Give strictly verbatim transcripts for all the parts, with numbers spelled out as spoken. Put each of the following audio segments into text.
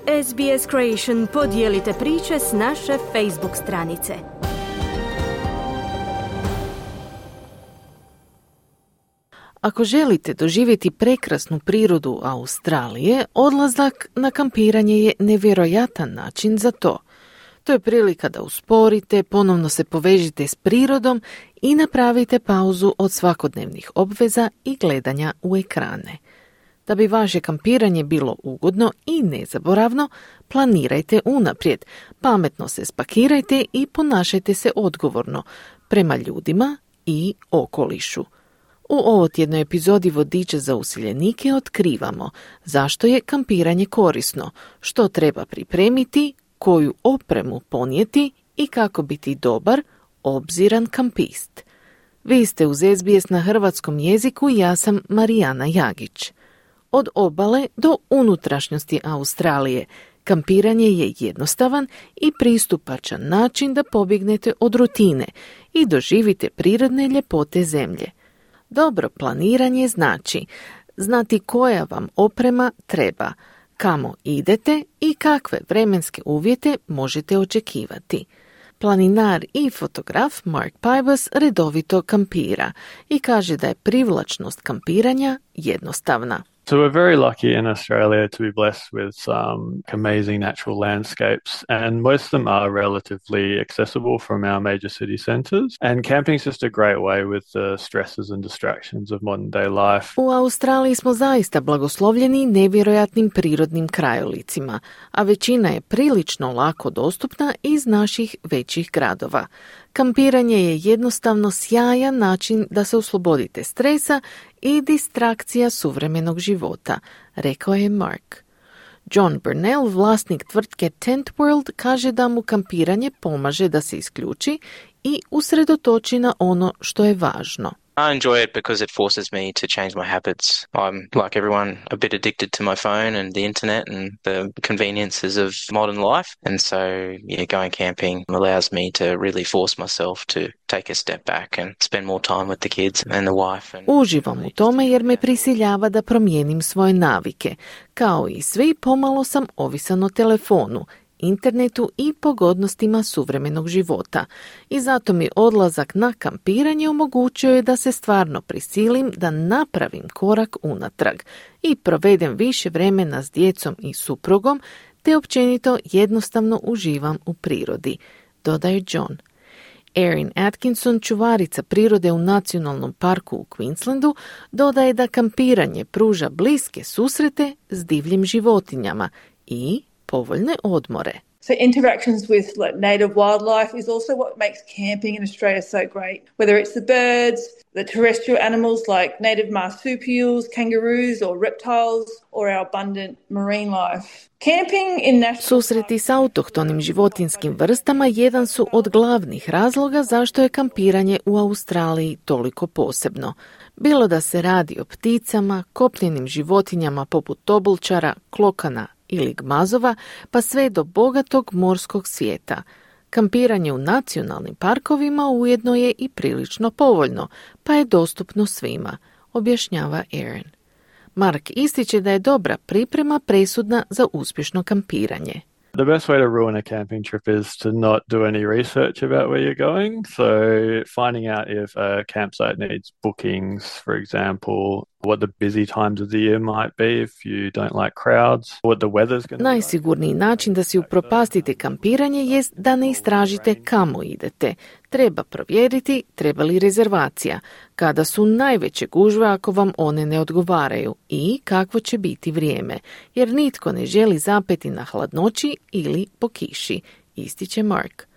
S B S Creation podijelite priče s naše Facebook stranice. Ako želite doživjeti prekrasnu prirodu Australije, odlazak na kampiranje je nevjerojatan način za to. To je prilika da usporite, ponovno se povežite s prirodom i napravite pauzu od svakodnevnih obveza i gledanja u ekrane. Da bi vaše kampiranje bilo ugodno i nezaboravno, planirajte unaprijed, pametno se spakirajte i ponašajte se odgovorno prema ljudima i okolišu. U ovotjednoj epizodi Vodiča za useljenike otkrivamo zašto je kampiranje korisno, što treba pripremiti, koju opremu ponijeti i kako biti dobar, obziran kampist. Vi ste uz S B S na hrvatskom jeziku, ja sam Marijana Jagić. Od obale do unutrašnjosti Australije, kampiranje je jednostavan i pristupačan način da pobjegnete od rutine i doživite prirodne ljepote zemlje. Dobro planiranje znači znati koja vam oprema treba, kamo idete i kakve vremenske uvjete možete očekivati. Planinar i fotograf Mark Pybus redovito kampira i kaže da je privlačnost kampiranja jednostavna. So we're very lucky in Australia to be blessed with some amazing natural landscapes, and most of them are relatively accessible from our major city centres. And camping's just a great way with the stresses and distractions of modern day life. U Australiji smo zaista blagoslovljeni nevjerojatnim prirodnim krajolicima, a većina je prilično lako dostupna iz naših većih gradova. Kampiranje je jednostavno sjajan način da se oslobodite stresa i distrakcija suvremenog života, rekao je Mark. John Burnell, vlasnik tvrtke Tent World, kaže da mu kampiranje pomaže da se isključi i usredotoči na ono što je važno. I enjoy it because it forces me to change my habits. I'm, like everyone, a bit addicted to my phone and the internet and the conveniences of modern life. And so, yeah, going camping allows me to really force myself to take a step back and spend more time with the kids and the wife. And Uživam u tome jer me prisiljava da promijenim svoje navike. Kao i svi, pomalo sam ovisan o telefonu, internetu i pogodnostima suvremenog života. I zato mi odlazak na kampiranje omogućuje da se stvarno prisilim da napravim korak unatrag i provedem više vremena s djecom i suprugom, te općenito jednostavno uživam u prirodi, dodaje John. Erin Atkinson, čuvarica prirode u nacionalnom parku u Queenslandu, dodaje da kampiranje pruža bliske susrete s divljim životinjama i povoljne odmore. So interactions with like native wildlife is also what makes camping in Australia so great. Whether it's the birds, the terrestrial animals like native marsupials, kangaroos or reptiles, or our abundant marine life. Camping in national... Susreti s autohtonim životinskim vrstama jedan su od glavnih razloga zašto je kampiranje u Australiji toliko posebno. Bilo da se radi o pticama, kopnenim životinjama poput tobolčara, klokana ili gmazova, pa sve do bogatog morskog svijeta. Kampiranje u nacionalnim parkovima ujedno je i prilično povoljno, pa je dostupno svima, objašnjava Erin. Mark ističe da je dobra priprema presudna za uspješno kampiranje. The best way to ruin a camping trip is to not do any research about where you're going. So finding out if a campsite needs bookings, for example, what the busy times of the year might be if you don't like crowds, what the weather's going to be. Najsigurniji način da si upropastite kampiranje jest da ne istražite kamo idete. Treba provjeriti treba li rezervacija, kada su najveće gužve ako vam one ne odgovaraju i kakvo će biti vrijeme, jer nitko ne želi zapeti na hladnoći ili po kiši, ističe Mark.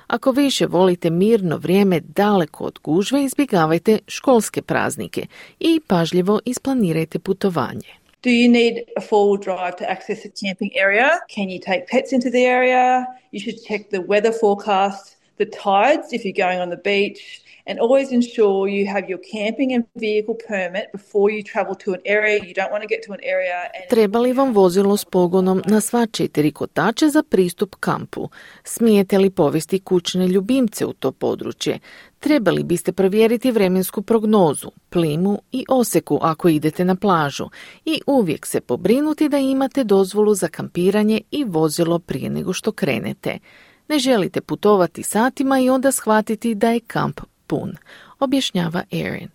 Ako više volite mirno vrijeme daleko od gužve, izbjegavajte školske praznike i pažljivo isplanirajte putovanje. Do you need a four-wheel drive to access a camping area? Can you take pets into the area? You should check the weather forecast, the tides if you're going on the beach, and always ensure you have your camping and vehicle permit before you travel to an area. You don't want to get to an area and... Treba li vam vozilo s pogonom na sva četiri kotača za pristup kampu? Smijete li povesti kućne ljubimce u to područje? Trebali biste provjeriti vremensku prognozu, plimu i oseku ako idete na plažu i uvijek se pobrinuti da imate dozvolu za kampiranje i vozilo prije nego što krenete. Ne želite putovati satima i onda shvatiti da je kamp pun, objašnjava Erin.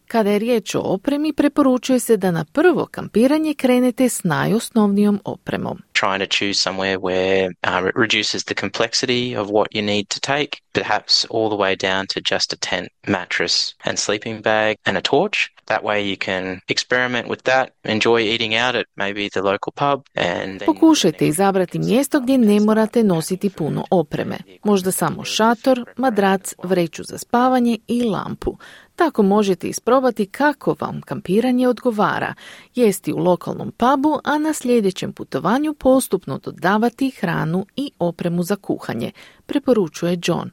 Kada je riječ o opremi, preporučuje se da na prvo kampiranje krenete s najosnovnijom opremom. Trying to choose somewhere where um, it reduces the complexity of what you need to take, perhaps all the way down to just a tent, mattress and sleeping bag and a torch. That way you can experiment with that, enjoy eating out at maybe the local pub. And then... Pokušajte izabrati mjesto gdje ne morate nositi puno opreme. Možda samo šator, madrac, vreću za spavanje i lampu. Tako možete isprobati kako vam kampiranje odgovara, jesti u lokalnom pubu, a na sljedećem putovanju postupno dodavati hranu i opremu za kuhanje, preporučuje John.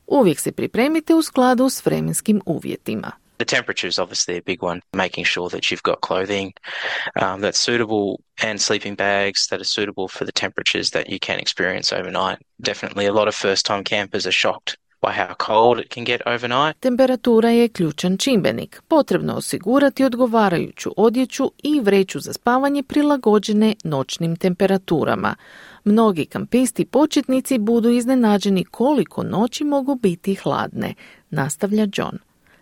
Uvijek se pripremite u skladu s vremenskim uvjetima. The temperature is obviously a big one, making sure that you've got clothing um, that's suitable and sleeping bags that are suitable for the temperatures that you can experience overnight. Definitely a lot of first-time campers are shocked by how cold it can get overnight. Temperatura je ključan čimbenik. Potrebno osigurati odgovarajuću odjeću i vreću za spavanje prilagođene noćnim temperaturama. Mnogi kampisti početnici budu iznenađeni koliko noći mogu biti hladne, nastavlja John.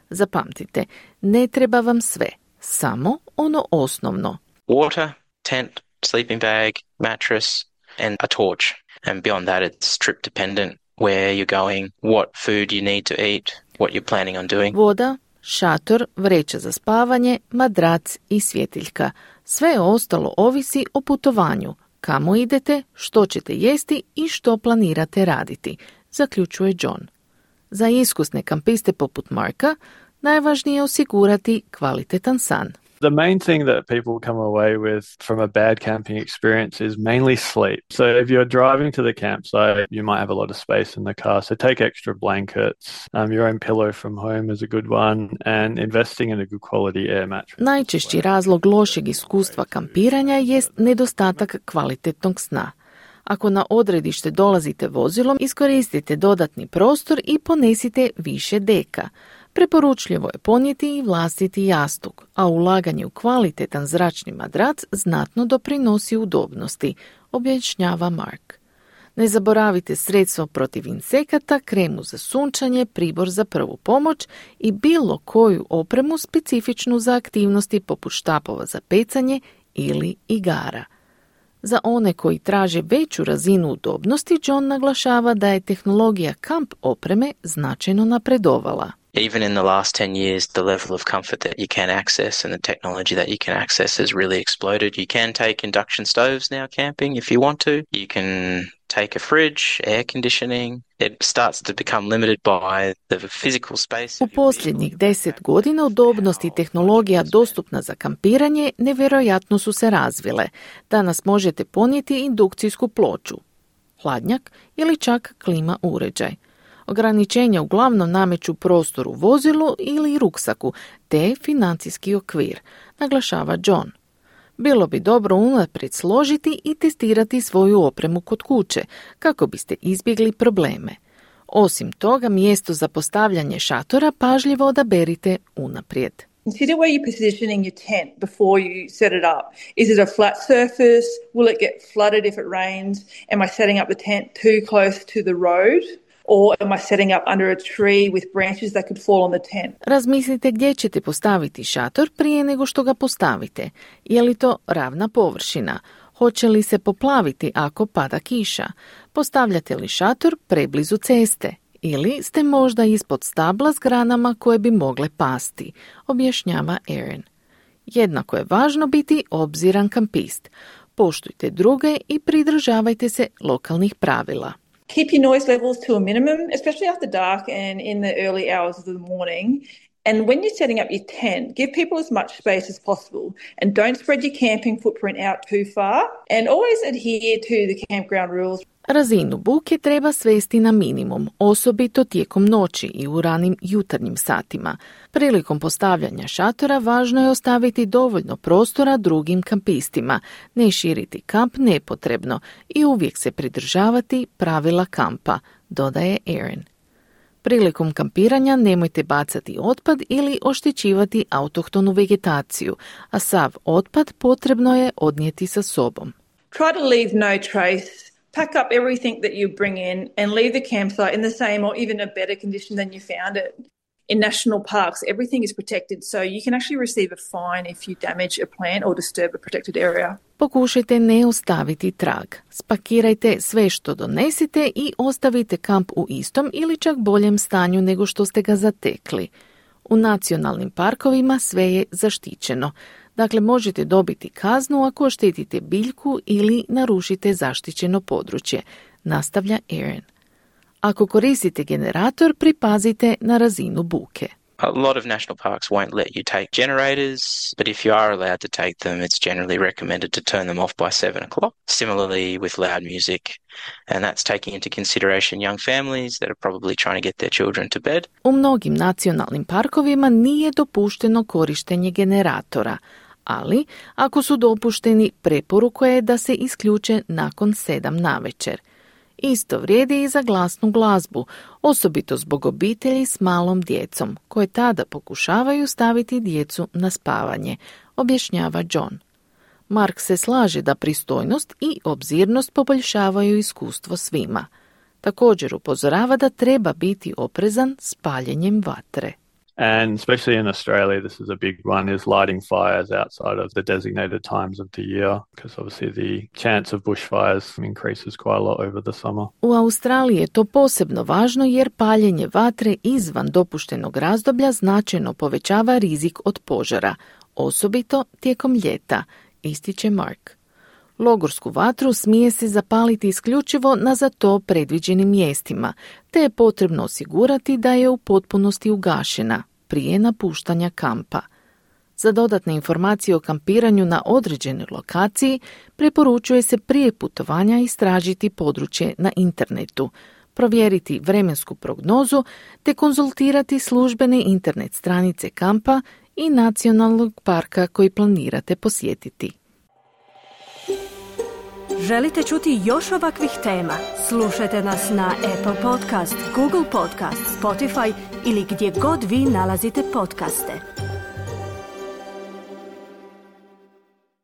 Zapamtite, ne treba vam sve, samo ono osnovno. Water, tent, sleeping bag, mattress and a torch. And beyond that it's trip dependent. Where you're going, what food you need to eat, what you're planning on doing. Voda, šator, vreća za spavanje, madrac i svjetiljka. Sve ostalo ovisi o putovanju, kamo idete, što ćete jesti i što planirate raditi, zaključuje John. Za iskusne kampiste poput Marka, najvažnije je osigurati kvalitetan san. The main thing that people come away with from a bad camping experience is mainly sleep. So if you're driving to the campsite, you might have a lot of space in the car. So take extra blankets. Um, your own pillow from home is a good one. And investing in a good quality air mattress. Najčešći razlog lošeg iskustva kampiranja jest nedostatak kvalitetnog sna. Ako na odredište dolazite vozilom, iskoristite dodatni prostor i ponesite više deka. Preporučljivo je ponijeti i vlastiti jastuk, a ulaganje u kvalitetan zračni madrac znatno doprinosi udobnosti, objašnjava Mark. Ne zaboravite sredstvo protiv insekata, kremu za sunčanje, pribor za prvu pomoć i bilo koju opremu specifičnu za aktivnosti poput štapova za pecanje ili igara. Za one koji traže veću razinu udobnosti, John naglašava da je tehnologija kamp opreme značajno napredovala. Even in the last ten years, the level of comfort that you can access and the technology that you can access has really exploded. You can take induction stoves now camping if you want to. You can take a fridge, air conditioning. It starts to become limited by the physical space. U posljednjih deset godina udobnost i tehnologija dostupna za kampiranje nevjerojatno su se razvile. Danas možete ponijeti indukcijsku ploču, hladnjak ili čak klima uređaj. Ograničenja uglavnom nameću prostor u vozilu ili ruksaku, te financijski okvir, naglašava John. Bilo bi dobro unaprijed složiti i testirati svoju opremu kod kuće, kako biste izbjegli probleme. Osim toga, mjesto za postavljanje šatora pažljivo odaberite unaprijed. Consider where you're positioning your tent before you set it up. Is it a flat surface? Will it get flooded if it rains? Am I setting up the tent too close to the road? Or am I setting up under a tree with branches that could fall on the tent? Razmislite gdje ćete postaviti šator prije nego što ga postavite. Je li to ravna površina? Hoće li se poplaviti ako pada kiša? Postavljate li šator preblizu ceste? Ili ste možda ispod stabla s granama koje bi mogle pasti, objašnjava Erin. Jednako je važno biti obziran kampist. Poštujte druge i pridržavajte se lokalnih pravila. Keep your noise levels to a minimum, especially after dark and in the early hours of the morning. And when you're setting up your tent, give people as much space as possible and don't spread your camping footprint out too far. And always adhere to the campground rules. Razinu buke treba svesti na minimum, osobito tijekom noći i u ranim jutarnjim satima. Prilikom postavljanja šatora važno je ostaviti dovoljno prostora drugim kampistima, ne širiti kamp nepotrebno i uvijek se pridržavati pravila kampa, dodaje Erin. Prilikom kampiranja nemojte bacati otpad ili oštećivati autohtonu vegetaciju, a sav otpad potrebno je odnijeti sa sobom. Try to leave no trace. Pack up everything that you bring in and leave the campsite in the same or even a better condition than you found it. In national parks, everything is protected, so you can actually receive a fine if you damage a plant or disturb a protected area. Pokušajte ne ostaviti trag. Spakirajte sve što donesite i ostavite kamp u istom ili čak boljem stanju nego što ste ga zatekli. U nacionalnim parkovima sve je zaštićeno. Dakle, možete dobiti kaznu ako oštetite biljku ili narušite zaštićeno područje, nastavlja Erin. Ako koristite generator, pripazite na razinu buke. A lot of national parks won't let you take generators, but if you are allowed to take them, it's generally recommended to turn them off by seven o'clock. Similarly with loud music, and that's taking into consideration young families that are probably trying to get their children to bed. U mnogim nacionalnim parkovima nije dopušteno korištenje generatora, ali ako su dopušteni, preporuka je da se isključe nakon sedam navečer. Isto vrijedi i za glasnu glazbu, osobito zbog obitelji s malom djecom, koje tada pokušavaju staviti djecu na spavanje, objašnjava John. Mark se slaže da pristojnost i obzirnost poboljšavaju iskustvo svima. Također upozorava da treba biti oprezan s paljenjem vatre. And especially in Australia, this is a big one, is lighting fires outside of the designated times of the year, because obviously the chance of bushfires increases quite a lot over the summer. U Australiji je to posebno važno jer paljenje vatre izvan dopuštenog razdoblja značajno povećava rizik od požara, osobito tijekom ljeta, ističe Mark. Logorsku vatru smije se zapaliti isključivo na za to predviđenim mjestima, te je potrebno osigurati da je u potpunosti ugašena prije napuštanja kampa. Za dodatne informacije o kampiranju na određenoj lokaciji preporučuje se prije putovanja istražiti područje na internetu, provjeriti vremensku prognozu te konzultirati službene internet stranice kampa i nacionalnog parka koji planirate posjetiti. Želite čuti još ovakvih tema? Slušajte nas na Apple Podcast, Google Podcast, Spotify ili gdje god vi nalazite podcaste.